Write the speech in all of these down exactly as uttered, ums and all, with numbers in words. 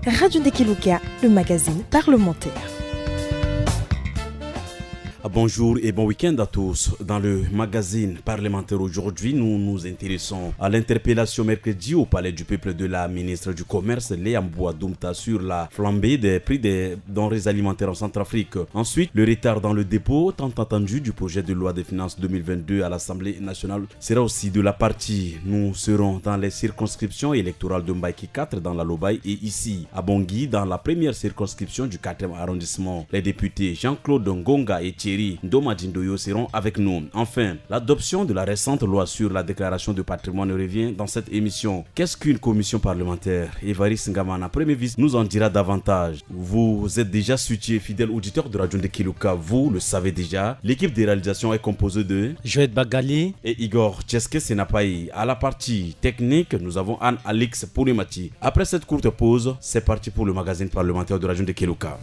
Radio Ndekeluka, le magazine parlementaire. Ah, bonjour et bon week-end à tous. Dans le magazine parlementaire aujourd'hui, nous nous intéressons à l'interpellation mercredi au Palais du Peuple de la ministre du Commerce, Léa Mboua Doumta, sur la flambée des prix des denrées alimentaires en Centrafrique. Ensuite, le retard dans le dépôt tant attendu du projet de loi de finances deux mille vingt-deux à l'Assemblée nationale sera aussi de la partie. Nous serons dans les circonscriptions électorales de Mbaïki quatre dans la Lobaye et ici à Bangui dans la première circonscription du quatrième arrondissement. Les députés Jean-Claude Ngonga et Thierry Ndomadindoyo seront avec nous. Enfin, l'adoption de la récente loi sur la déclaration de patrimoine revient dans cette émission. Qu'est-ce qu'une commission parlementaire ? Évariste Ngamana, premier vice, nous en dira davantage. Vous êtes déjà situé, fidèle auditeur de Radio Ndekeluka, vous le savez déjà. L'équipe de réalisation est composée de Joël Bagali et Igor Tcheske Senapaï. À la partie technique, nous avons Anne-Alix Poulimati. Après cette courte pause, c'est parti pour le magazine parlementaire de Radio Ndekeluka.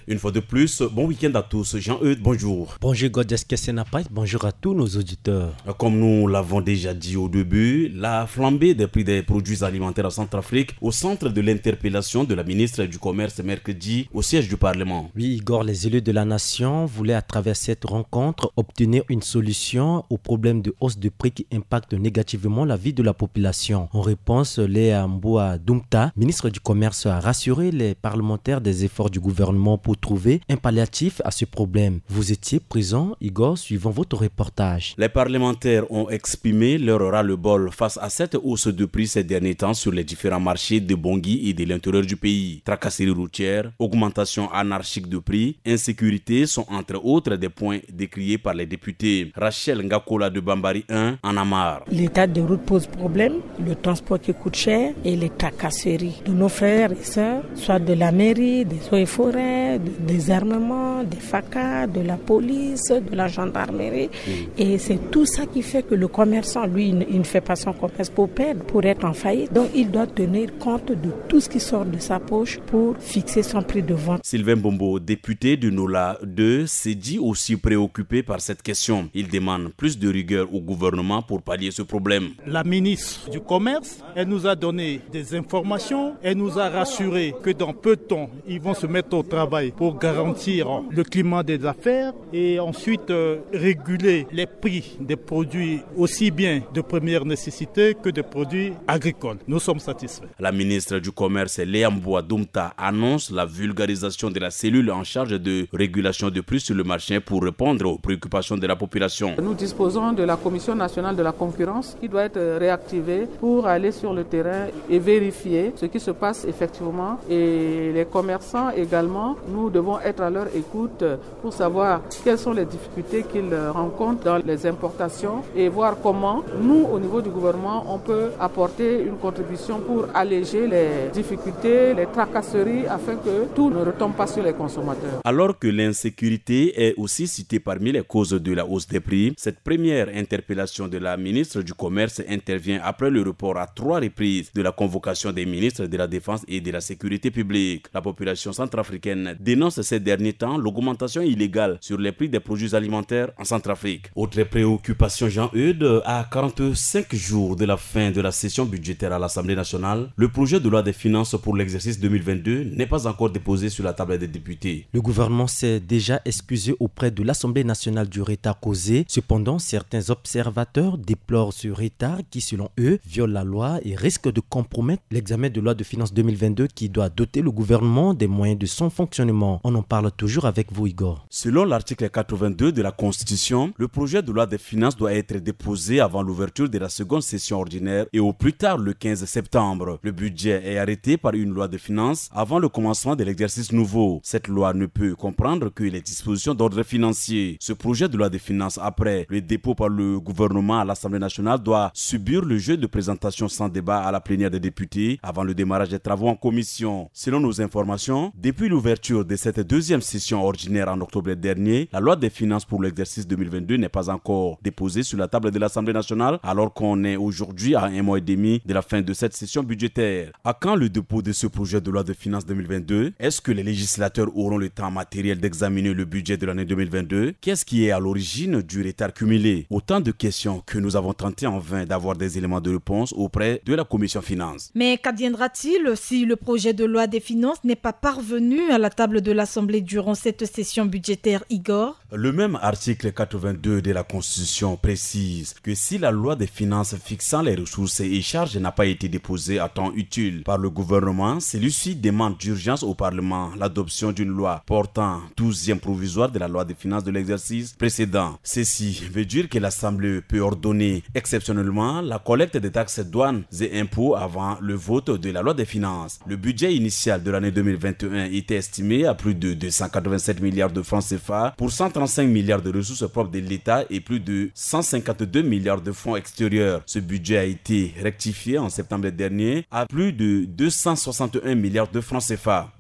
Une fois de plus, bon week-end à tous. Jean-Eudes, bonjour. Bonjour, Godès Kessenapait. Bonjour à tous nos auditeurs. Comme nous l'avons déjà dit au début, la flambée des prix des produits alimentaires en Centrafrique au centre de l'interpellation de la ministre du Commerce mercredi au siège du Parlement. Oui, Igor, les élus de la nation voulaient, à travers cette rencontre, obtenir une solution au problème de hausse de prix qui impacte négativement la vie de la population. En réponse, Léa Mboua Doumta, ministre du Commerce, a rassuré les parlementaires des efforts du gouvernement pour trouver un palliatif à ce problème. Vous étiez présent, Igor, suivant votre reportage. Les parlementaires ont exprimé leur ras-le-bol face à cette hausse de prix ces derniers temps sur les différents marchés de Bangui et de l'intérieur du pays. Tracasseries routières, augmentation anarchique de prix, insécurité sont entre autres des points décriés par les députés. Rachel Ngakola de Bambari un en a marre. L'état de route pose problème, le transport qui coûte cher et les tracasseries de nos frères et sœurs, soit de la mairie, des eaux et forêts, de- des armements, des FACA, de la police, de la gendarmerie. Et c'est tout ça qui fait que le commerçant, lui, il ne, il ne fait pas son commerce pour perdre, pour être en faillite. Donc, il doit tenir compte de tout ce qui sort de sa poche pour fixer son prix de vente. Sylvain Bombo, député de Nola deux, s'est dit aussi préoccupé par cette question. Il demande plus de rigueur au gouvernement pour pallier ce problème. La ministre du Commerce, elle nous a donné des informations, elle nous a rassuré que dans peu de temps, ils vont se mettre au travail pour garantir le climat des affaires et ensuite euh, réguler les prix des produits aussi bien de première nécessité que des produits agricoles. Nous sommes satisfaits. La ministre du Commerce, Léa Mboua Doumta, annonce la vulgarisation de la cellule en charge de régulation de prix sur le marché pour répondre aux préoccupations de la population. Nous disposons de la Commission nationale de la concurrence qui doit être réactivée pour aller sur le terrain et vérifier ce qui se passe effectivement. Et les commerçants également, nous devons être à leur écoute pour savoir quelles sont les difficultés qu'ils rencontrent dans les importations et voir comment nous, au niveau du gouvernement, on peut apporter une contribution pour alléger les difficultés, les tracasseries, afin que tout ne retombe pas sur les consommateurs. Alors que l'insécurité est aussi citée parmi les causes de la hausse des prix, cette première interpellation de la ministre du Commerce intervient après le report à trois reprises de la convocation des ministres de la Défense et de la Sécurité publique. La population centrafricaine dénonce ces derniers temps l'augmentation illégale sur les prix des produits alimentaires en Centrafrique. Autre préoccupation, Jean-Eudes, à quarante-cinq jours de la fin de la session budgétaire à l'Assemblée nationale, le projet de loi des finances pour l'exercice deux mille vingt-deux n'est pas encore déposé sur la table des députés. Le gouvernement s'est déjà excusé auprès de l'Assemblée nationale du retard causé. Cependant, certains observateurs déplorent ce retard qui, selon eux, viole la loi et risque de compromettre l'examen de loi de finances deux mille vingt-deux qui doit doter le gouvernement des moyens de son fonctionnement. On en parle toujours avec vous, Igor. Selon l'article quatre-vingt-deux de la Constitution, le projet de loi des finances doit être déposé avant l'ouverture de la seconde session ordinaire et au plus tard le quinze septembre. Le budget est arrêté par une loi de finances avant le commencement de l'exercice nouveau. Cette loi ne peut comprendre que les dispositions d'ordre financier. Ce projet de loi de finances, après le dépôt par le gouvernement à l'Assemblée nationale, doit subir le jeu de présentation sans débat à la plénière des députés avant le démarrage des travaux en commission. Selon nos informations, depuis l'ouverture de cette deuxième session ordinaire en octobre dernier, la loi des finances pour l'exercice deux mille vingt-deux n'est pas encore déposée sur la table de l'Assemblée nationale, alors qu'on est aujourd'hui à un mois et demi de la fin de cette session budgétaire. À quand le dépôt de ce projet de loi de finances deux mille vingt-deux ? Est-ce que les législateurs auront le temps matériel d'examiner le budget de l'année deux mille vingt-deux ? Qu'est-ce qui est à l'origine du retard cumulé ? Autant de questions que nous avons tenté en vain d'avoir des éléments de réponse auprès de la commission finances. Mais qu'adviendra-t-il si le projet de loi des finances n'est pas parvenu à la table de l'Assemblée durant cette session budgétaire, Igor ? Le même article quatre-vingt-deux de la Constitution précise que si la loi des finances fixant les ressources et charges n'a pas été déposée à temps utile par le gouvernement, celui-ci demande d'urgence au Parlement l'adoption d'une loi portant douzième provisoire de la loi des finances de l'exercice précédent. Ceci veut dire que l'Assemblée peut ordonner exceptionnellement la collecte des taxes, douanes et impôts avant le vote de la loi des finances. Le budget initial de l'année deux mille vingt et un était estimé à plus de deux cent quatre-vingt-sept milliards de francs C F A pour cent trente-cinq milliards de ressources propres de l'État et plus de cent cinquante-deux milliards de fonds extérieurs. Ce budget a été rectifié en septembre dernier à plus de deux cent soixante et un milliards de francs C F A.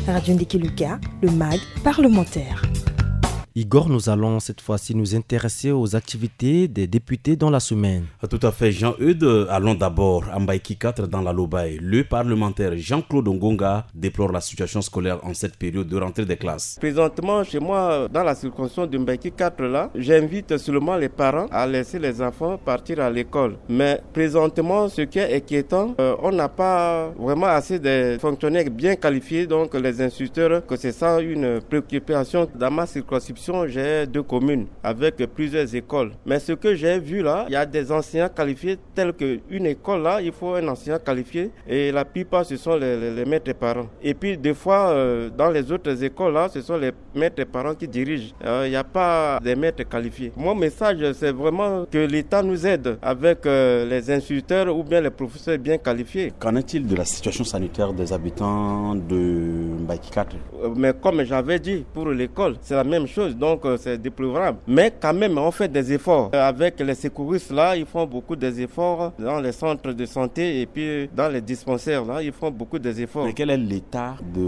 Radio Ndiki Luka, le mag parlementaire. Igor, nous allons cette fois-ci nous intéresser aux activités des députés dans la semaine. Tout à fait, Jean-Eudes. Allons d'abord à Mbaïki quatre dans la Lobaye. Le parlementaire Jean-Claude Ngonga déplore la situation scolaire en cette période de rentrée des classes. Présentement, chez moi, dans la circonscription de Mbaïki quatre, là, j'invite seulement les parents à laisser les enfants partir à l'école. Mais présentement, ce qui est inquiétant, euh, on n'a pas vraiment assez de fonctionnaires bien qualifiés, donc les instituteurs, que c'est ça une préoccupation. Dans ma circonscription, j'ai deux communes avec plusieurs écoles. Mais ce que j'ai vu là, il y a des enseignants qualifiés tels qu'une école là, il faut un enseignant qualifié et la plupart, ce sont les, les, les maîtres parents. Et puis, des fois, euh, dans les autres écoles là, ce sont les maîtres parents qui dirigent. Euh, Il n'y a pas des maîtres qualifiés. Mon message, c'est vraiment que l'État nous aide avec, euh, les instituteurs ou bien les professeurs bien qualifiés. Qu'en est-il de la situation sanitaire des habitants de Mbaïki quatre ? Euh, mais comme j'avais dit, pour l'école, c'est la même chose, donc, euh, c'est déplorable. Mais quand même, on fait des efforts. Euh, avec les secouristes là, ils font beaucoup des efforts dans les centres de santé et puis dans les dispensaires là, ils font beaucoup des efforts. Mais quel est l'état de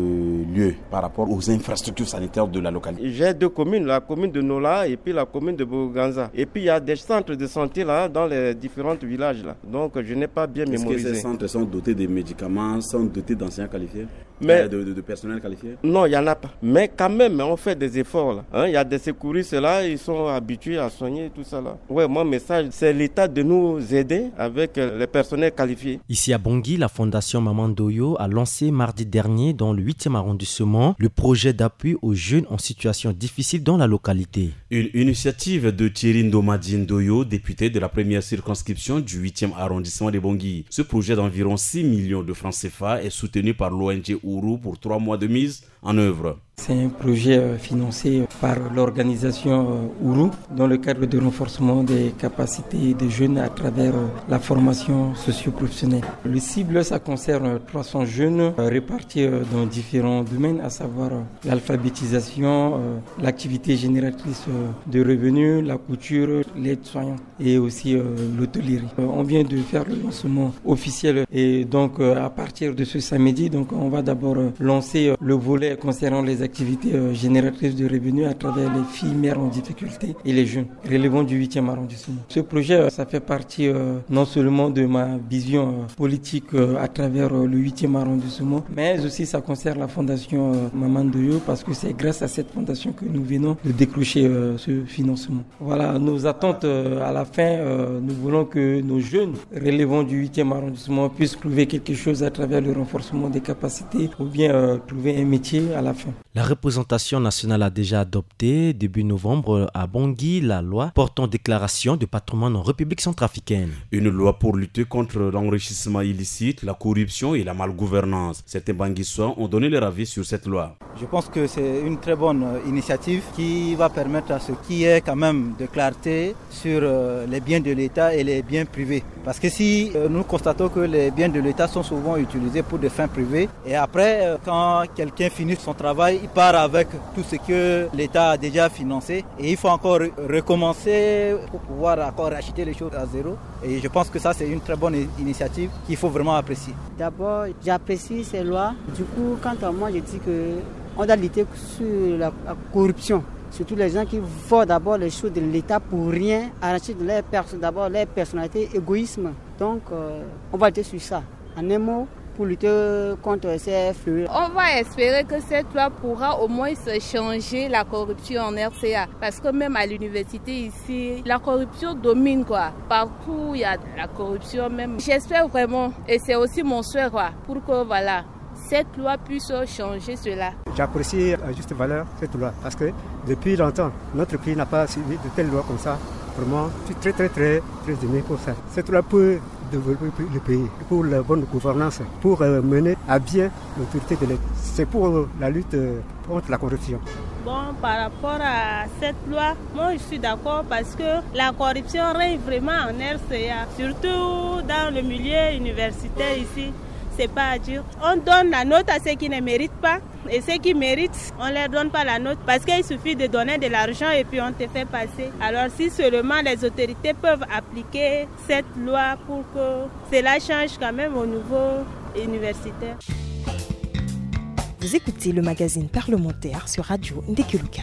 lieu par rapport aux infrastructures sanitaires de la localité ? J'ai deux communes, la commune de Nola et puis la commune de Boganza. Et puis il y a des centres de santé là, dans les différents villages là. Donc je n'ai pas bien mémorisé. Est-ce que ces centres sont dotés de médicaments, sont dotés d'enseignants qualifiés ? Mais euh, de, de, de personnel qualifié ? Non, il n'y en a pas. Mais quand même, on fait des efforts là. Hein, il y a des secouristes là, ils sont habitués à soigner tout ça là. Ouais, mon message, c'est l'État de nous aider avec, euh, les personnels qualifiés. Ici à Bangui, la fondation Maman Ndoyo a lancé mardi dernier dans le huitième arrondissement le projet d'appui aux jeunes en situation difficile dans la localité. Une initiative de Thierry Ndomadi Ndoyo, député de la première circonscription du huitième arrondissement de Bangui. Ce projet d'environ six millions de francs C F A est soutenu par l'O N G Ourou pour trois mois de mise en œuvre. C'est un projet, euh, financé par l'organisation, euh, Ourou dans le cadre de renforcement des capacités des jeunes à travers, euh, la formation socio-professionnelle. Le cible, ça concerne trois cents jeunes, euh, répartis, euh, dans différents domaines, à savoir, euh, l'alphabétisation, euh, l'activité génératrice, euh, de revenus, la couture, l'aide-soignante et aussi, euh, l'hôtellerie. Euh, on vient de faire le lancement officiel et donc, euh, à partir de ce samedi, donc, on va d'abord, euh, lancer, euh, le volet concernant les activités, euh, génératrices de revenus à travers les filles mères en difficulté et les jeunes relevant du huitième arrondissement. Ce projet, euh, ça fait partie, euh, non seulement de ma vision, euh, politique, euh, à travers, euh, le huitième arrondissement, mais aussi ça concerne la fondation, euh, Maman Ndoyo parce que c'est grâce à cette fondation que nous venons de décrocher, euh, ce financement. Voilà, nos attentes, euh, à la fin, euh, nous voulons que nos jeunes relevant du huitième arrondissement puissent trouver quelque chose à travers le renforcement des capacités ou bien, euh, trouver un métier à la fin. La représentation nationale a déjà adopté, début novembre, à Bangui, la loi portant déclaration de patrimoine en République centrafricaine. Une loi pour lutter contre l'enrichissement illicite, la corruption et la malgouvernance. Certains Banguissois ont donné leur avis sur cette loi. Je pense que c'est une très bonne, euh, initiative qui va permettre à ce qu'il y ait quand même de clarté sur, euh, les biens de l'État et les biens privés. Parce que si, euh, nous constatons que les biens de l'État sont souvent utilisés pour des fins privées, et après, euh, quand quelqu'un finit son travail, il part avec tout ce que l'État a déjà financé, et il faut encore re-, recommencer pour pouvoir encore racheter les choses à zéro. Et je pense que ça, c'est une très bonne i-, initiative qu'il faut vraiment apprécier. D'abord, j'apprécie ces lois. Du coup, quant à moi, je dis que On doit lutter sur la, la corruption. Surtout les gens qui voient d'abord les choses de l'État pour rien, arracher de leur personne, d'abord leur personnalité, égoïsme. Donc, euh, on va lutter sur ça. En un mot, pour lutter contre ces fléaux. On va espérer que cette loi pourra au moins changer la corruption en R C A. Parce que même à l'université ici, la corruption domine, quoi. Partout, il y a la corruption même. J'espère vraiment, et c'est aussi mon souhait, quoi, pour que, voilà, cette loi puisse changer cela. J'apprécie à juste valeur cette loi parce que depuis longtemps, notre pays n'a pas suivi de telles lois comme ça. Vraiment, je suis très, très, très, très ému pour ça. Cette loi peut développer le pays, pour la bonne gouvernance, pour euh, mener à bien l'autorité de l'État. C'est pour euh, la lutte euh, contre la corruption. Bon, par rapport à cette loi, moi je suis d'accord parce que la corruption règne vraiment en R C A, surtout dans le milieu universitaire ici. C'est pas à dire. On donne la note à ceux qui ne méritent pas. Et ceux qui méritent, on ne leur donne pas la note parce qu'il suffit de donner de l'argent et puis on te fait passer. Alors si seulement les autorités peuvent appliquer cette loi pour que cela change quand même au niveau universitaire. Vous écoutez le magazine parlementaire sur Radio Ndekeluka.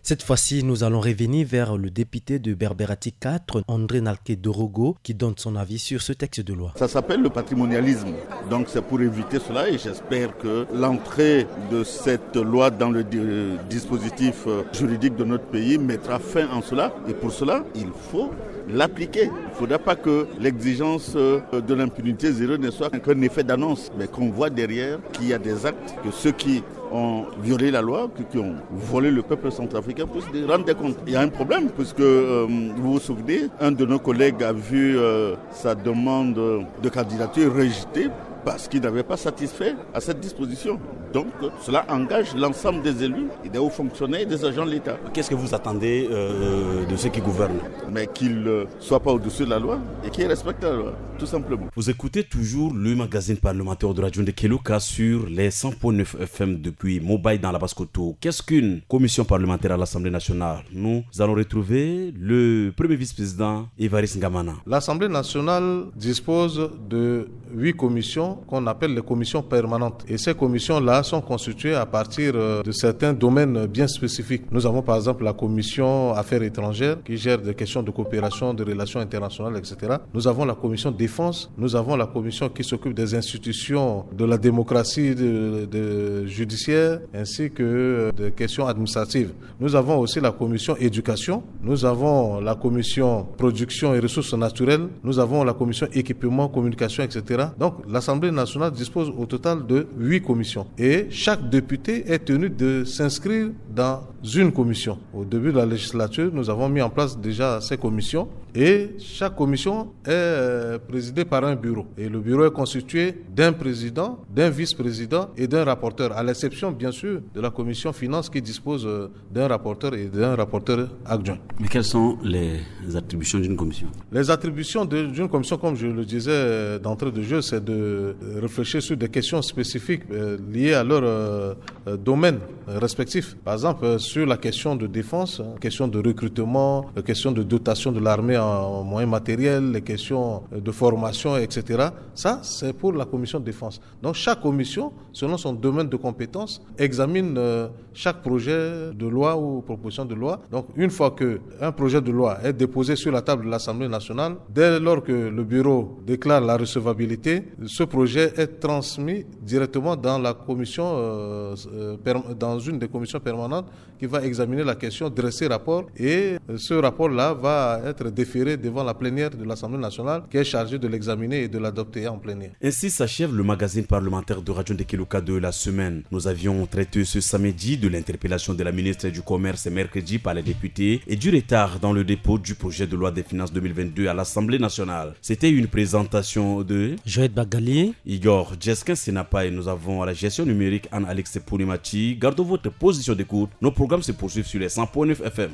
Cette fois-ci, nous allons revenir vers le député de Berberati quatre, André Nalke Dorogo, qui donne son avis sur ce texte de loi. Ça s'appelle le patrimonialisme. Donc c'est pour éviter cela et j'espère que l'entrée de cette loi dans le di- dispositif euh, juridique de notre pays mettra fin en cela. Et pour cela, il faut l'appliquer. Il ne faudra pas que l'exigence euh, de l'impunité zéro ne soit qu'un effet d'annonce, mais qu'on voit derrière qu'il y a des actes, que ceux qui ont violé la loi, qui, qui ont volé le peuple centrafricain, puissent rendre des comptes. Il y a un problème, puisque euh, vous vous souvenez, un de nos collègues a vu euh, sa demande de candidature rejetée parce qu'il n'avait pas satisfait à cette disposition. Donc, cela engage l'ensemble des élus, et des hauts fonctionnaires et des agents de l'État. Qu'est-ce que vous attendez euh, de ceux qui gouvernent ? Mais qu'ils euh, soient pas au-dessus de la loi et qu'ils respectent la loi, tout simplement. Vous écoutez toujours le magazine parlementaire de Radio Ndekeluka sur les cent point neuf F M depuis Mobay dans la Basse-Kotto. Qu'est-ce qu'une commission parlementaire à l'Assemblée nationale ? Nous allons retrouver le premier vice-président Évariste Ngamana. L'Assemblée nationale dispose de huit commissions qu'on appelle les commissions permanentes. Et ces commissions-là sont constituées à partir euh, de certains domaines bien spécifiques. Nous avons par exemple la commission affaires étrangères qui gère des questions de coopération, de relations internationales, et cetera. Nous avons la commission défense, nous avons la commission qui s'occupe des institutions de la démocratie de, de judiciaire, ainsi que euh, des questions administratives. Nous avons aussi la commission éducation, nous avons la commission production et ressources naturelles, nous avons la commission équipement, communication, et cetera. Donc l'Assemblée nationale dispose au total de huit commissions. Et chaque député est tenu de s'inscrire dans une commission. Au début de la législature, nous avons mis en place déjà ces commissions. Et chaque commission est euh, présidée par un bureau. Et le bureau est constitué d'un président, d'un vice-président et d'un rapporteur, à l'exception bien sûr de la commission finance qui dispose euh, d'un rapporteur et d'un rapporteur adjoint. Mais quelles sont les attributions d'une commission ? Les attributions de- d'une commission, comme je le disais euh, d'entrée de jeu, c'est de euh, réfléchir sur des questions spécifiques euh, liées à leur euh, euh, domaine euh, respectif. Par exemple, euh, sur la question de défense, hein, question de recrutement, euh, question de dotation de l'armée en moyens matériels, les questions euh, de formation, et cetera. Ça, c'est pour la commission de défense. Donc chaque commission, selon son domaine de compétence, examine euh, chaque projet de loi ou proposition de loi. Donc une fois que un projet de loi est déposé sur la table de l'Assemblée nationale, dès lors que le bureau déclare la recevabilité, ce projet est transmis directement dans la commission, euh, euh, perm- dans une des commissions permanentes qui va examiner la question, dresser rapport et euh, ce rapport-là va être déféré devant la plénière de l'Assemblée nationale qui est chargée de l'examiner et de l'adopter en plénière. Ainsi s'achève le magazine parlementaire de Radio Ndekeluka de la semaine. Nous avions traité ce samedi de l'interpellation de la ministre du Commerce mercredi par les députés et du retard dans le dépôt du projet de loi des finances deux mille vingt-deux à l'Assemblée nationale. C'était une présentation de Joël Bagali. Igor Jeskin Senapai. Nous avons à la gestion numérique Anne-Alix Poulimati. Gardons votre position d'écoute. Nos programmes se poursuivent sur les cent point neuf F M.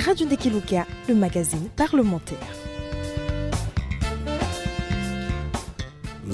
Radio Ndekeluka, le magazine parlementaire.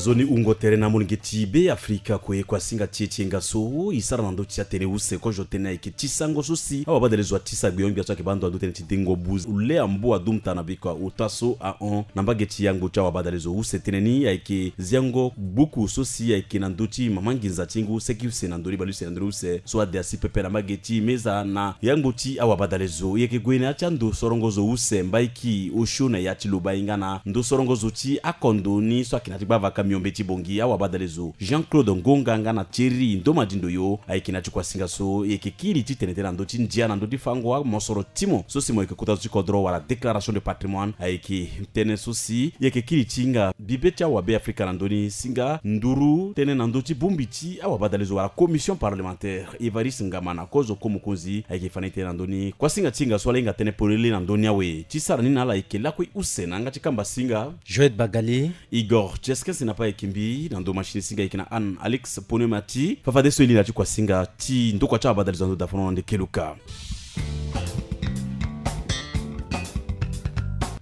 Nzoni wungo tere na molenge ti Be Afrika kue, kuasinga ti e ti enga so e sara na ndö ti atene use kozo tënë ayeke ti sango so si awabadale zo atisa gbio-gbia so ayeke baa ndo na ndö tënë ti dengo buze lea mbu adumta na bikua ota so ahon na mbage ti yango ti awabadale zo. Use tënë ni ayeke ziango gbuku so si ayeke na ndö ti mama nginza ti ngu seki use na ndö ni bale use na ndö ni use so ade asi pepe na mbage ti meza na yango ti awabadale zo. E yeke gue na ya ti ando sorongo zo use mbaiki osio na ya ti lobai nga na ndo sorongo zo ti akondo ni so ayeke na ya ti gbava kamiombe ti bongi. Awabadale zo Jean-Claude Ngonga nga na Thierry Ndomadi Ndoyo ayeke na ya ti kuasinga so e yeke kiri titene tënë na ndö ti ndia na ndö ti fango amosoro ti mo so si mo yeke kota zo ti kodro wala déclaration de patrimoine ayeke tënë so si e yeke kiri ti hinga bibe ti awabe Afrika na ndö ni si nga nduru tënë na ndö ti bongbi ti awabadale zo wala commission parlementaire. Évariste Ngamana kozo ko mokonzi ayeke fa na e tënë na ndö ni. Kuasinga ti hinga so ala hinga tënë polele na ndö ni awe ti sara ni na ala ayeke lakue use na yanga ti kamba singa Joël Bagali. Igor Cheskin si na pa ayeke mbi na ndo machine singa ayeke na Anne Alex Ponemati. Fafadeso e li na ya ti kuasinga ti ndokua ti awabadale zo na ndo dafono na ndeke luka.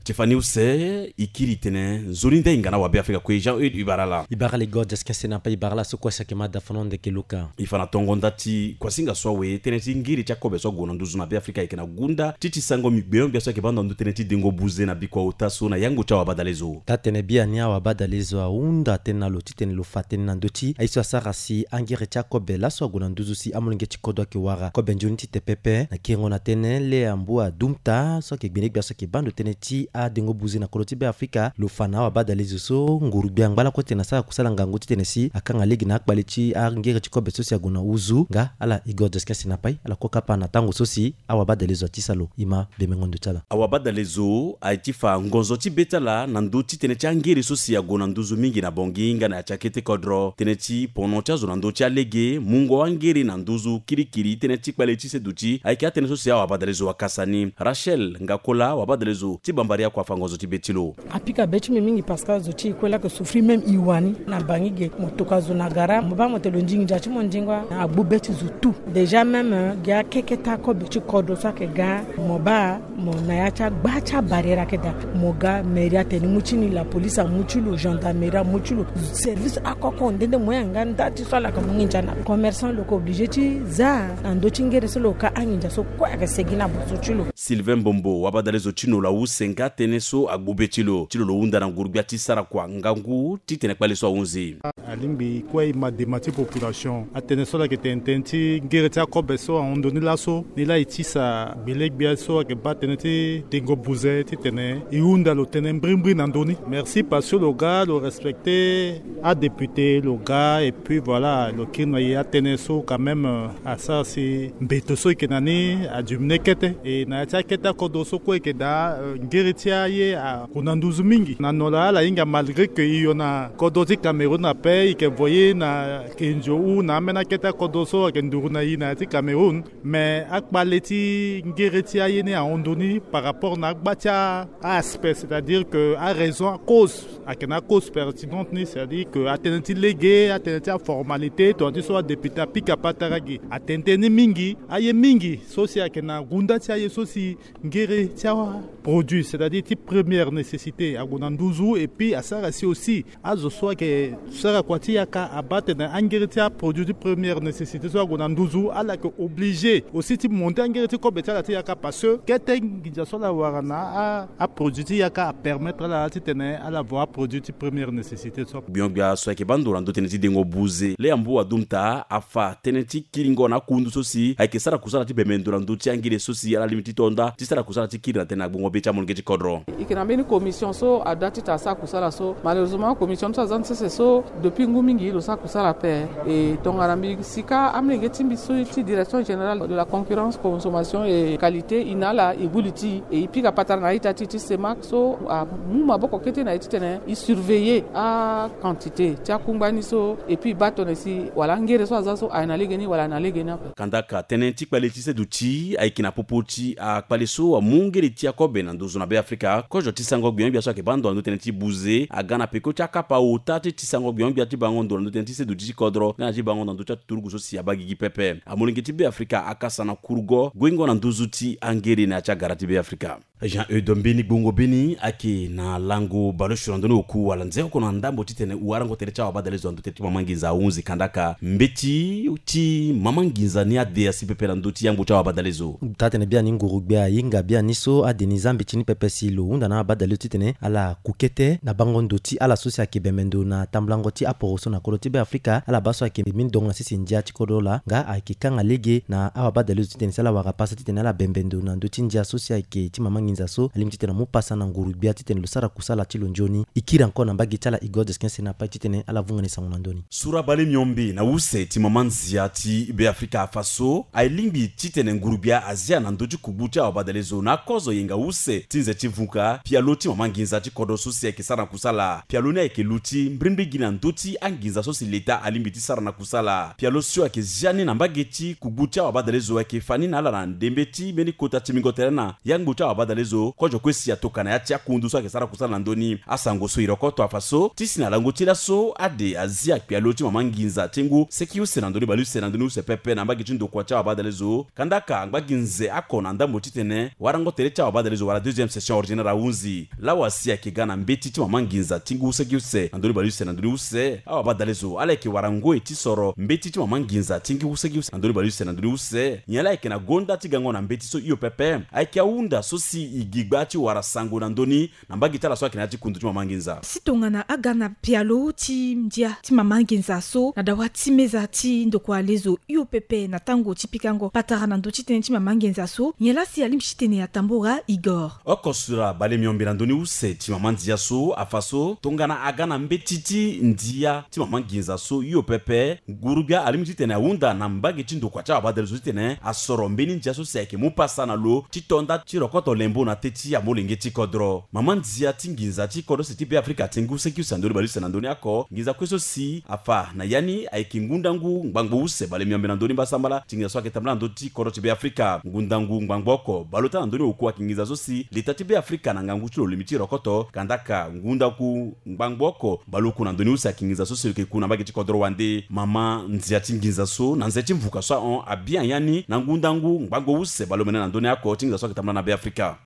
Ti fani use e kiri tene nzoni nda e hinga na wabe Afrika kue Jean Eude Ibarala. Ibarala Igor Cheskin si na pa Ibarala so kue si ayeke ma dafono ndeke luka. E fa na tongo nda ti kuasinga so awe tënë ti ngiri ti akobe so ague na nduzu na Be Afrika ayeke na gunda ti ti sango mi gbio-gbia so ayeke baa ndo na ndö tënë ti dengo buze na bikua ota so na yango ti awabadale zo. Taa-tënë biani awabadale zo ahunda tënë na lo titene lo fa tënë na ndö ti aye so asara si angiri ti akobe laso ague na nduzu si amolenge ti kodro ayeke wara kobe nzoni tite pepe na kiringo na tënë lea mbu adumta so ayeke gbene-gbia so ayeke baa ndo tënë ti adengo buze na kodro ti Be Afrika. Lo fa na awabadale zo so nguru-gbia angba lakue titene asara kusala ngangu titene si akanga lege na akpale ti angiri ti kobe so si ague na nduzu nga ala Igor Cheskin si na pa e ala kue kapa na tango so si awabadale zo atisa lo. E ma bemengo ndo ti ala. Awabadale zo aye ti fa ngonzo ti be ti ala na ndö ti tënë ti angiri so si ague na nduzu mingi na bongi nga na ya ti akete kodro. Tënë ti pono ti azo na ndö ti alege, mungo angiri na nduzu kirikiri, tënë ti kpale ti seduti ayeke atënë so si awabadale zo akasa ni. Rachel Ngakola, awabadale zo ti Bambari akua afa ngonzo ti be ti lo. Apika be ti mbi mingi parce que azo ti e kue laa ayeke souffrir même e wani na Bangi ge. Mo tokua zo na gara, mo baa mo tene lo ndingi ndia ti mo ndingo, agbu be ti zo tout. Déjà même, euh, gi akeke ti akobe ti kodro so ayeke ga, mo baa mo na ya ti agba ti abarrière ayeke daa. Mo ga mairie atene ni mu ti ni, la police amu ti lo, gendarmerie amu ti lo, service akoko nde nde mo yanga nda ti so ala yeke mu nginza na lo. Commerçant lo yeke obligé ti za na ndö ti ngere so lo ka anginza so kue ayeke segi na boso ti lo. Sylvain Mbombo, wabadale zo ti lo lo awu senga tënë so agbu be ti lo. Ti lo lo hunda na nguru-gbia ti sara kua ngangu titene kpale so ahunzi. Alingbi kue e ma dema ti population. Atënë so ala yeke tene tënë ti ngere ti akobe so ahon ndo ni laso, ni laa e tisa gbele-gbia so ayeke baa tënë ti dengo buze titene e hunda lo tënë mbrimbri na ndö ni. Merci parce que lo ga lo respecter adéputé, lo ga et puis voilà lo kiri na e atënë so quand même, euh, asara si mbeto so e yeke na ni adiminué kete. E na ya ti akete akodro so kue e yeke daa, euh, ngiri ti aye ague na nduzu mingi. Na no laa ala hinga malgré que e yo na kodro ti Cameroun ape, e yeke voye na Kenzo ou na ambeni akete akodro so ayeke nduru na e na ya ti Cameroun. Mais akpale ti ngiri ti aye ni ahon ndo ni par rapport na agba ti a-aspect, c'est-à-dire que araison, acause, ayeke na acause pertinente ni, c'est-à-dire que atënë ti lege, atënë ti aformalité, tongana ti so adéputé apika patara gi, atene tënë ni mingi. Aye mingi so si ayeke na gunda ti aye so si ngiri ti aproduit, c'est-à-dire ti première nécessité, ague na nduzu, et puis asara si aussi azo so ayeke sara kua ti yaka abaa tene angiri ti aproduit ti première nécessité so ague na nduzu, ala yeke obligé aussi ti monter angiri ti kobe ti ala ti yaka, parce que kete nginza so ala wara na a, aproduit ti yaka apermettre ala titene ala vo aproduit ti première nécessité so. Gbio-gbia so ayeke baa ndo na ndö tënë ti dengo buze, Lea Mbu Adumta, afa tënë ti kiringo na akundu so si ayeke sara kusala ti bembe ndo na ndö ti angiri so si ala lingbi ti to nda ti sara kusala ti kiri na tënë na gbongo be ti amolenge ti kodro. E yeke na mbeni commission so ada titene asara kusala so. Malheureusement, commission ni so aza ni sese so, depuis ngu mingi lo sara kusala ape. E tongana mbi sika amolenge ti mbi so ti direction générale de la concurrence, consommation et qualité, e na ala e gbu li ti e, e pika patara na a-ita ti e ti CEMAC so amu maboko kete na e titene e surveiller a-quantité ti akungba ni so, et puis e baa tongana si wala angere so aza so aye na lege ni wala aye na lege ni ape. Kandaka tënë ti kpale ti seduti ayeke na popo ti akpale so amu ngere ti akobe na nduzu na Be Afrika. Kozo ti sango gbio-gbia so ayeke baa ndo na ndö tënë ti buze aga na peko ti akapa ota ti ti sango gbio-gbia ti bango ndo na ndö tënë ti seduti ti kodro nga na ti bango na ndö ti aturugu so si abaa gigi pepe. Amolenge ti Be Afrika akasa na kurugo guengo na nduzu ti angere na ya ti agara ti Be Afrika. Jean Eudo, mbeni gbongo beni ayeke na lango baleosio na ndö ni oku wala nze oko na ndambo titene warango tere ti awabadalezo na ndö tere ti mama nginza ahunzi kandaka mbeti ti mama nginza ni ade asi pepe na ndö ti yangbo ti awabadalezo. Taa-tene biani nguru-gbia ahinga biani so ade ni zia mbeti ni pepe si lo hunda na awabadalezo titene ala ku kete na bango ndo ti ala so si ayeke bembe ndo na tambulango ti aporoso na kodro ti Beafrika. Ala baa so ayeke mbeni dongo na sese ndia ti kodro laa nga ayeke kanga lege na awabadalezo titene si ala wara pasa titene ala bembe ndo na ndö ti ndia so si ayeke ti mama nginza so alingbi titene amu pasa na nguru-gbia titene lo sara kusala ti lo nzoni. E kiri encore na mbage ti ala Igor Desquin Sena Paye titene ala vunga ni sango na ndö ni. Sura bale miombe na use ti mama nzia ti Beafrika afa so aye lingbi titene nguru-gbia azia na ndö ti kugbu ti awabadalezo na akozo yenga use ti nze ti vuka pialo ti mama nginza ti kodro so si ayeke sara na kusala. Pialo ni ayeke luti mbirimbiri gi na ndö ti anginza so si leta alingbi ti sara na kusala. Pialo so ayeke zia ni na mbage ti kugbu ti awabadalezo ayeke fa ni na ala na ndembe ti mbeni kota ti mingo tere na yangbo ti awabadalezo kozo kue si atoka na ya ti akundu so ayeke sara kusala na ndö ni. Asango so e rokoto afa so ti si na lango ti laso ade azia pialo ti mama nginza ti ngu seki use na ndö ni baleuse na ndö ni use pepe na mbage ti ndokua ti awabadalezo. Kandaka angba gi nze oko na ndambo titene warango tere ti awabadalezo wala deuxième session ordinaire ahunzi. Lawa si ayeke ga na mbeti ti mama nginza ti ngu seki use na ndö ni baleuse na ndö ni use, awabadalezo ala yeke wara ngoi ti soro mbeti ti mama nginza ti ngu seki use na ndö ni baleuse na ndö ni use. Nyen laa ayeke na gonda ti gango na mbeti so hio pepe? Ayeke ahunda so si e gi gba ti wara sango na ndö ni na mbage ti ala so ayeke na ya ti kundu ti mama nginza. Si tongana aga na pialo ti ndia ti mama nginza so na dawa ti meza ti ndokua lezo hio pepe na tango ti pikango patara na ndö ti tënë ti mama nginza so, nyen laa si alingbi titene atambora Igor? Oko sura bale miombe na ndö ni use ti mama nzia so afa so tongana aga na mbeti ti ndia ti mama nginza so hio pepe, nguru-gbia alingbi titene ahunda na mbage ti ndokua ti awabadalezo titene asoro mbeni ndia so si ayeke mu pasa na lo ti to nda ti rokoto lembo na teti amolenge ti kodro. Mama nzia ti nginza ti kodro use ti Beafrika ti ngu seki use na ndö ni baleuse na ndö ni oko nginza kue so si afa na ya ni ayeke ngundangu ngbangbo use bale miombe na ndö ni mbasambala ti nginza so ayeke tambula na ndö ti kodro ti Beafrika. Ngundangu ngbangbo oko baleota na ndö ni oku ayeke nginza so si leta ti Beafrika na ngangu ti lo lingbi ti rokoto kandaka ngundangu ngbangbo oko baleoku na ndö ni use ayeke nginza so si lo yeke ku na mbage ti kodro wande. Mama nzia ti nginza so na nze ti mvuka so ahon abia ya ni na ngundangu ngbangbo use baleomene na ndö ni oko ti nginza so ayeke tambula na Beafrika.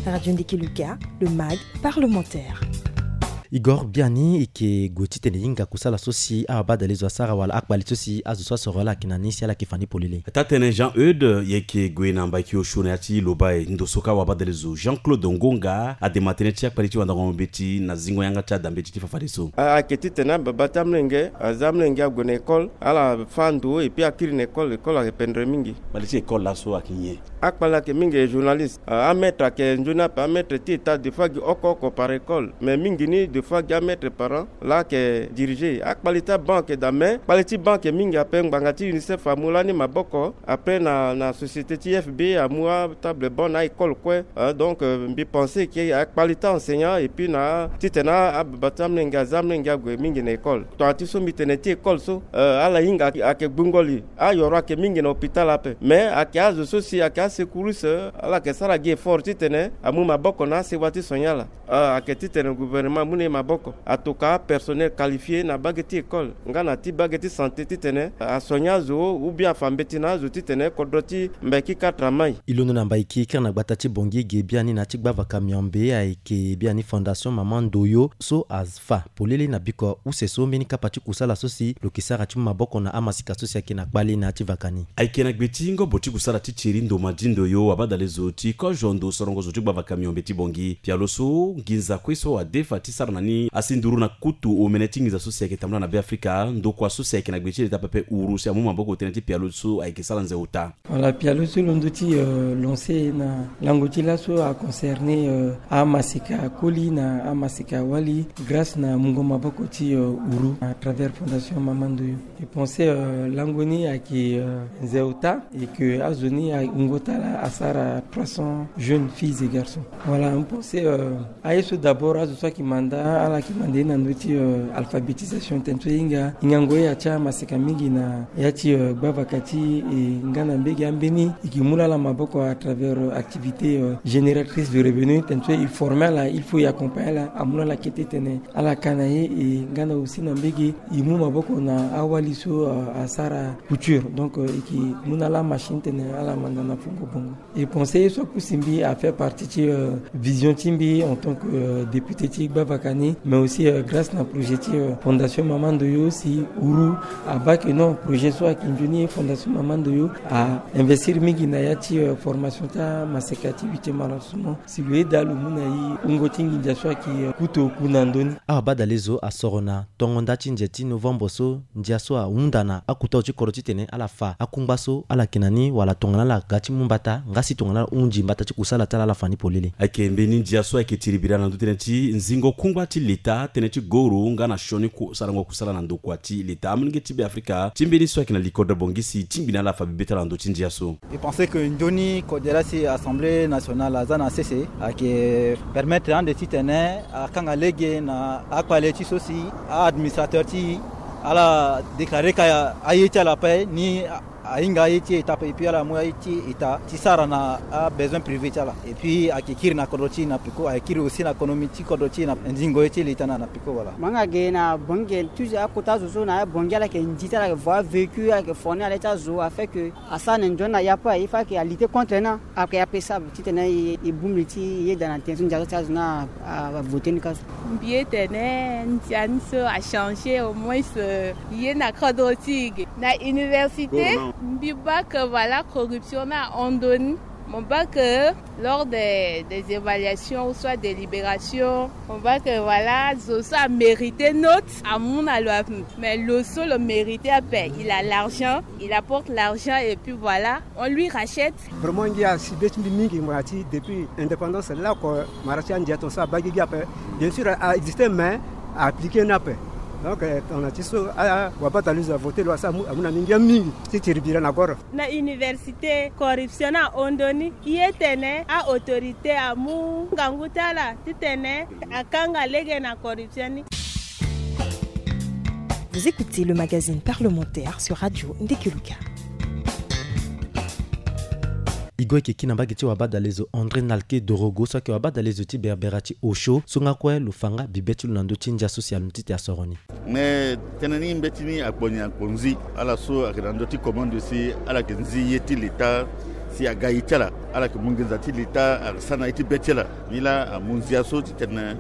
Radio Ndiki Luka, le mag parlementaire. Igor, biani e yeke gue titene e hinga kusala so si awabadalezo asara wala akpali so si azo so asoro ala ayeke na ni si ala yeke fa ni polele. Taa-tene Jean Eude, e yeke gue na mbaki osio na ya ti Lobaye ndo so ka awabadalezo Jean Claude Ngonga adema tënë ti akpali ti wandango mbeti na zingo yanga ti ada mbeti ti fafadeso. A, ayeke titene ababa ti amolenge aza amolenge ague na école, ala fâ ndo et puis akiri na école, école ayeke pendre mingi. Mbali ti école laso ayeke nyen? Akpali ayeke mingi journaliste. A, amaître ayeke nzoni ape, amaître ti état des fois gi oko oko par école, mais mingi ni des fois gi amaître par an laa ayeke diriger. Akpali ti aban ayeke daa, mais kpali ti ban ayeke mingi ape. Ngbanga ti UNICEF amu lani maboko, après na, na société ti F B amu atable banc na a-école kue. Euh, donc, euh, mbi pensé ke akpali ti a-enseignant et puis na titene ababa ti amolenge aza amolenge ague mingi na école. Tongana ti so mbi tene ti école so, euh, ala hinga ayeke gbungo li. Ayoro ayeke mingi na hôpital ape, mais ayeke azo so si ayeke asecouriste, euh, ala yeke sara gi effort titene amu maboko na asewa ti sonye ala. Ah, ayeke titene gouvernement amu na e maboko, atoka apersonnel qualifié na bage ti école nga na ti bage ti santé titene asoigna azo ou bien afa mbeti na azo titene kodro ti Mbaiki quatre amai. E londo na Mbaiki kiri na gbata ti Bangui ge biani na ya ti gbavaka miombe ayeke biani Fondation Mama Ndoyo so afa polele na biko use so mbeni kapa ti kusala so si lo yeke sara ti mu maboko na amasika so si ayeke na kpale na ya ti vaka ni. Ayeke na gbe ti ngobo ti kusala ti Thierry Ndoma Di Ndoyo, abadalezo ti kozo ndo sorongo zo ti gbavaka miombe ti Bangui. Pialo so nginza kue so adefa ti sara na ni asi nduru na kutu omene ti nginza so si ayeke tambula na Beafrika, ndokua so si ayeke na gbe ti leta pepe uru si amu maboko tënë ti pialo so ayeke sara nze ota. Voilà, pialo so londo ti, euh, lancer na lango ti laso a concerner, euh, amasika koli na amasika wali grâce na mungo maboko ti, euh, uru à travers Fondation Mama Ndoyo. Je pensais, euh, lango ni ayeke, euh, nze ota et que azo ni awungo ti ala asara trois cents jeunes filles et garçons. Voilà, je pensais, euh, aye so d'abord azo so ayeke manda Ala yeke mande na ndö ti alphabétisation tene so e hinga hingango ye atia maseka mingi na ya ti gbavaka ti e nga na mbege ambeni e yeke mu laa ala maboko à travers activité génératrice de revenu tene so e forme ala il faut e accompagne ala amu laa ala kete tene ala ka na ye e nga na aussi na mbege e mu maboko na awali so asara couture donc e yeke mu na ala machine tene ala manda na fungo bongo. E conseil so apusi mbi a fait partie ti vision ti mbi en tant que député ti gbavaka ni mais aussi grâce na projet ti fondation mama ndoyo si uru abake non projet so ayeke nzoni ye fondation mama ndoyo a investir mingi na ya ti formation ti amaseka ti huitième arrondissement si lo yeda lo mu na e wungo ti nginza so ayeke kutu oku na ndö ni. Awa badalezo asoro na tongo nda ti nze ti novembre so ndia so ahunda na akota ti kodro titene ala fa akungba so ala yeke na ni wala tongana ala ga ti mu mbata nga si tongana ala hunzi mbata ti kusala ti ala ala fa ni polele. Ayeke mbeni ndia so ayeke tiribira na ndö tënë ti nzingo kungba ti leta tënë ti goro nga na sioni sarango kusala na ndokua ti leta amolenge ti be afrika ti mbeni so ayeke na likodro bongisi tingbi na ala fa bibe ti ala na ndö ti ndia so. E pense que nzoni kode la si assemblée nationale aza na sese ayeke permettre ande titene akanga lege na akpale ti so si a-administrateur ti ala déclarer ka aye ti ala ape ni ahinga aye ti eta ape et puis ala mu aye ti eta ti sara na abesoin privé ti ala et puis ayeke kiri na kodro ti e na peko ayeke kiri aussi na konomi ti kodro ti e na nzingo ye ti leta na na peko wala. Mo yanga ge na bongi ge toujours akota azo so na abongi ala yeke ndi ti ala yeke voir vécu ala yeke forni ala ye ti azo afin que asara na nzoni na ya ape il faut ayeke alutter contre ni. Ayeke ape sable titene e bongbi ti yeda na tënë so ndia so ti azo ni avote ni ka so. Mbi ye tene ndia ni so achangé au moins ye na kodro ti e ge na université. Mbi baa que voilà corruption ni ahon ndoni. Mo baa que lors des évaluations ou soit délibération mo baa que voilà zo so amérité note amu na lo ape. Mais lo so lo mérité ape il a l'argent il apporte l'argent et puis voilà on lui rachète. Vraiment ngia si be ti mbi mingi mo ya ti depuis indépendance lako mara ti andia ton so abaa gigi ape. Bien sûr a existe mais a appliqué ni ape. Donc tongana ti so wabata luze avote lo asa amu na mbi ngia mingi ti tiribira na goro. Na université corruption ni ahon ndoni. Ye tene a autorité amu ngangu ti ala titene akanga lege na corruption ni. Vous écoutez le magazine parlementaire sur Radio Ndekeluka. E gue yeke kiri na mbage ti wabadalezo André Nalke Dorogo so ayeke wabadalezo ti berbera ti osio so nga kue lo fa nga bibe ti lo na ndö ti ndia so si alon ti te asoro ni. Mais tënë ni mbeti ni akpo ni akpo nzi ala so ayeke na ndö ti commande si ala yeke nzi ye ti leta si aga ye ti ala ala yeke mu nginza ti leta asara na ye ti be ti ala. Ni laa amu nzia so titene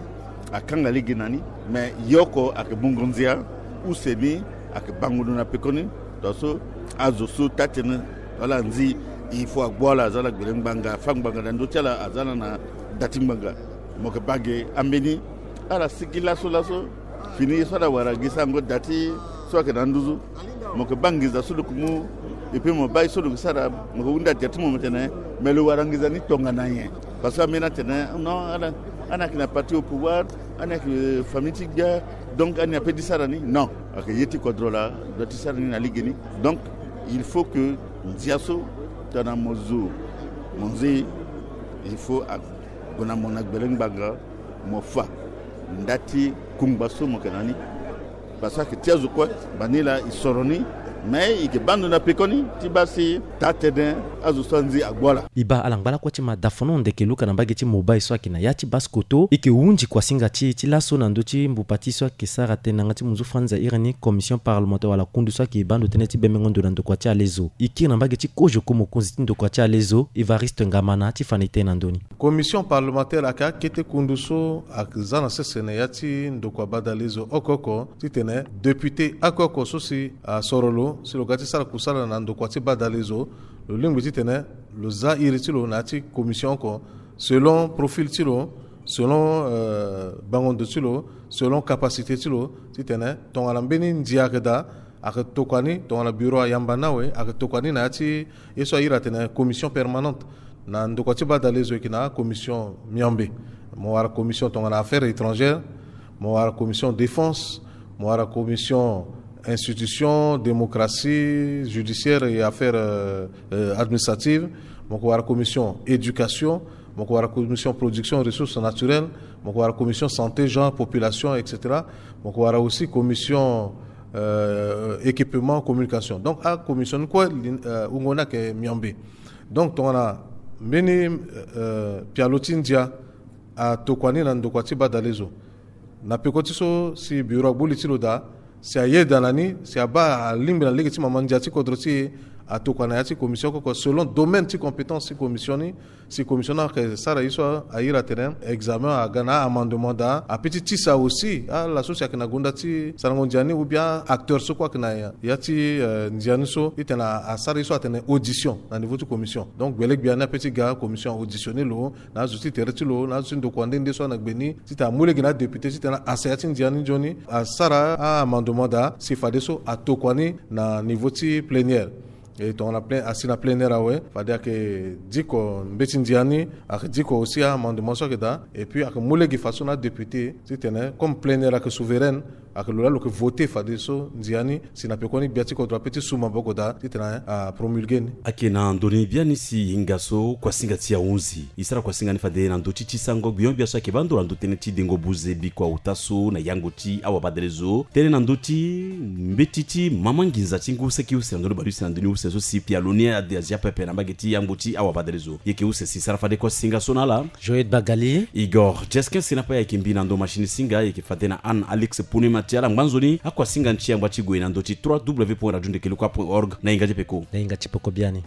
akanga lege na ni. Mais ye oko ayeke mungo nzia use ni ayeke bango ndo na pekoni. Tongaso azo so taa tënë wala anzi il faut agbu ala aza ala gbele ngbanga afa ngbanga na ndö ti ala aza ala na da ti ngbanga. Mo yeke baa ge ambeni ala sigi laso laso fini ye so ala wara gi sarango da ti so ayeke na nduzu. Mo yeke baa nginza so lo yeke mu. Epui mo baa ye so lo yeke sara mo yeke hunda dia ti mo mo tene mais lo wara nginza ni tongana nyen? Parce que ambeni atene non ala ala yeke na parti au pouvoir ala yeke famille ti gbia. Donc ani ape ti sara ni non. Ayeke ye ti kodro laa doit ti sara ni na lege ni. Donc il faut que nzia so tongana mo zo mo nzi il faut ague na mo na gbele ngbanga. Mo fa nda ti kungba so mo yeke na ni. Parce que ayeke ti azo kue bani laa e soro ni. Mais e yeke baa ndo na pekoni ti baa si taa tënë azo so anzi agbu ala. E baa ala ngba lakue ti ma dafono ndeke luka na mbage ti mobile so ayeke na ya ti base koto e yeke hunzi kuasinga ti e ti laso na ndö ti mbupa ti so ayeke sara tënë na yanga ti munzu franz airi ni commission parlementaire wala kundu so ayeke baa ndo tënë ti bemengo ndo na ndokua ti alezo. E kiri na mbage ti kozo ko mokonzi ti ndokua ti alezo Evariste Ngamana ti fa na e tënë na ndö ni. Commission parlementaire ayeke akete kundu so aza na sese na ya ti ndokua badalezo oko oko titene député oko oko so si asoro lo si lo ga ti sara kusala na ndokua ti badalezo lo lingbi titene lo za iri ti lo na ya ti commission oko selon profil ti lo selon bango ndo ti lo selon capacité ti lo titene tongana mbeni ndia ayeke daa ayeke tokua ni tongana bureau ayamba ni awe ayeke tokua ni na ya ti ye so airi atene commission permanente. Na ndokua ti badalezo e yeke na commission miombe. Mo wara commission tongana affaires étrangères, mo wara commission défense, mo wara commission institution démocratie judiciaire et affaires administratives, mo yeke wara commission éducation, mo yeke wara commission production ressources naturelles, Mo ko wara commission santé, genre, population, et cetera. Mo ko wara aussi commission euh, équipement, communication. Donc a commission ni kue, euh, wungo ni ayeke miombe. Donc tongana mbeni euh, pialo ti ndia atokua ni na ndokua ti badalezo, na peko ti so si bureau agbu li ti lo daa, si ayeda na ni, si abaa alingbi na lege ti mama ndia ti kodro ti e, atokua na ya ti commission oko oko selon domaine ti compétence ti commission ni. Si commission ni ayeke sara ye so, airi atene examen aga na amendement daa, ape ti tisa aussi ala so si ayeke na gonda ti sarango ndia ni ou bien acteur so kue ayeke na ya ti euh, ndia ni so, titene asara ye so atene audition na niveau ti commission. Donc gbele gbia ni ape ti ga commission auditionner lo na azo ti tere ti lo na azo ti ndokua nde nde so ana gbe ni, titene amu lege na adéputé titene asa ya ti ndia ni nzoni, asara a-amendement daa si fadeso atokua ni na niveau ti plénière. E tongana plein, asi na plénière awe, fade ayeke diko mbeti ndia ni, ayeke diko aussi a-amendement so ayeke daa, et puis ayeke mu lege fadeso na adéputé titene comme plénière ayeke souveraine, ayeke lo laa lo yeke voté fadeso ndia ni si na pekoni gbia ti kodro ape ti su maboko daa titene apromulgué ni. Ayeke na ndo ni biani si hinga so kuasinga ti ahunzi. E sara kuasinga ni fade na ndö ti ti sango gbion-gbia so ayeke baa ndo na ndö tënë ti dengo buze bikua ota so na yango ti awabadalezo, tënë na ndö ti mbeti ti mama nginza ti ngu seki use na ndö ni baleuse na ndö ni use so si pialo ni ade azia pepe na mbage ti yango ti awabadalezo. Yeke use si sara fade kuasinga so na ala. Joël Bagali, Igor Jeskin si na pa yeke mbi na ndo machine singa yeke fade na Anne Alix Pune Matiala ngbanzoni akuasinga ni ti yangba ti gue na ndö ti trois w point radio ndeke lokua point org. Na hinga ti peko. Na hinga ti peko biani.